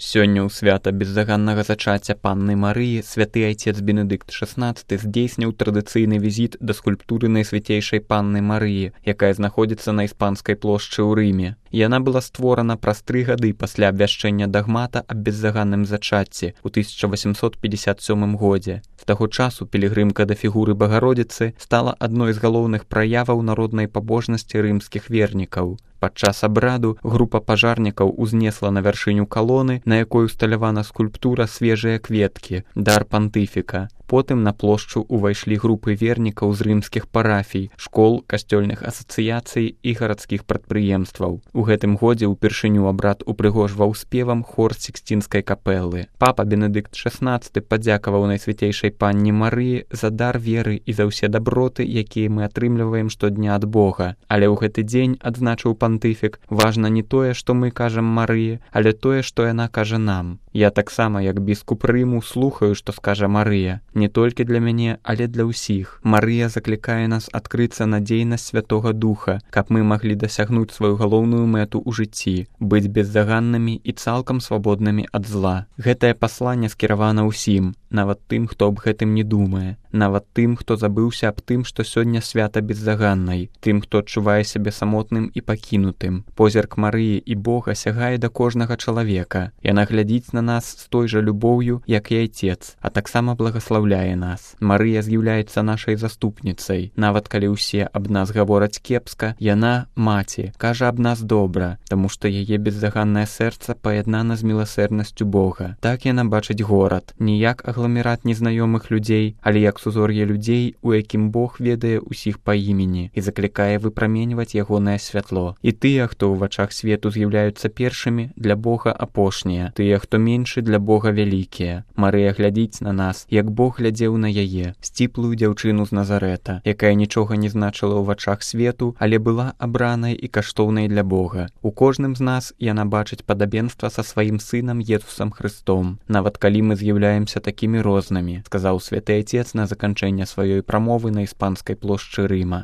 Сёння ў свята беззаганнага зачацця панны Марыі святы айцец Бенедыкт XVI здзейсніў традыцыйны візіт да скульптуры найсвяцейшай панны Марыі, якая знаходзіцца на Іспанскай плошчы ў Рыме. Яна была створана праз 3 гады пасля абвяшчэння дагмата аб беззаганным зачацці ў 1857 годзе. З таго часу пілігрымка да фігуры Багародзіцы стала адной з галоўных праяваў народнай пабожнасці рымскіх вернікаў. Падчас абраду група пажарнікаў узнесла на вяршыню калоны, на якой усталявана скульптура свежыя кветкі, дар пантыфіка. Потым на плошчу ўвайшлі групы вернікаў з рымскіх парафій, школ, касцёльных асацыяцый і гарадскіх прадпрыемстваў. У гэтым годзе ўпершыню абрад упрыгожваў спевам хор Сіксцінскай капэлы. Папа Бенедыкт XVI падзякаваў найсвяцейшай панне Марыі за дар веры і за ўсе даброты, якія мы атрымліваем штодня ад Бога. Але ў гэты дзень, адзначыў пантыфік, важна не тое, што мы кажам Марыі, але тое, што яна кажа нам. Я таксама, як біскуп Рыму, слухаю, што скажа Марыя. Не толькі для мяне, але для ўсіх. Марыя заклікае нас адкрыцца на дзейнасць Святога Духа, каб мы маглі дасягнуць сваю галоўную мэту ў жыцці, быць беззаганнымі і цалкам свабоднымі ад зла. Гэтае пасланне скіравана ўсім, нават тым, хто аб гэтым не думае, нават тым, хто забыўся аб тым, што сёння свята беззаганнай, тым, хто адчувае сябе самотным і пакінутым. Позірк Марыі і Бога сягае да кожнага чалавека. Яна глядзіць на нас з той жа любоўю, як і айцец, а таксама благаслаўляе нас. Марыя з'яўляецца нашай заступніцай. Нават калі ўсе аб нас гавораць кепска, яна, маці, кажа аб нас добра, таму што яе беззаганнае сэрца паяднана з міласэрнасцю Бога. Так яна бачыць горад, не як агламерат незнаёмых людзей, але як сузор'е людзей, у якім Бог ведае ўсіх па імені і заклікае выпраменьваць ягонае святло. І тыя, хто ў вачах свету з'яўляюцца першымі, для Бога апошнія, тыя, хто меншы, для Бога вялікія. Марыя глядзіць на нас, як Бог глядзеў на яе, сціплую дзяўчыну з Назарэта, якая нічога не значыла ў вачах свету, але была абранай і каштоўнай для Бога. У кожным з нас яна бачыць падабенства са сваім сынам Езусам Хрыстом, нават калі мы з'яўляемся такімі рознымі, сказаў святы айцец на заканчэнне сваёй прамовы на Іспанскай плошчы Рыма.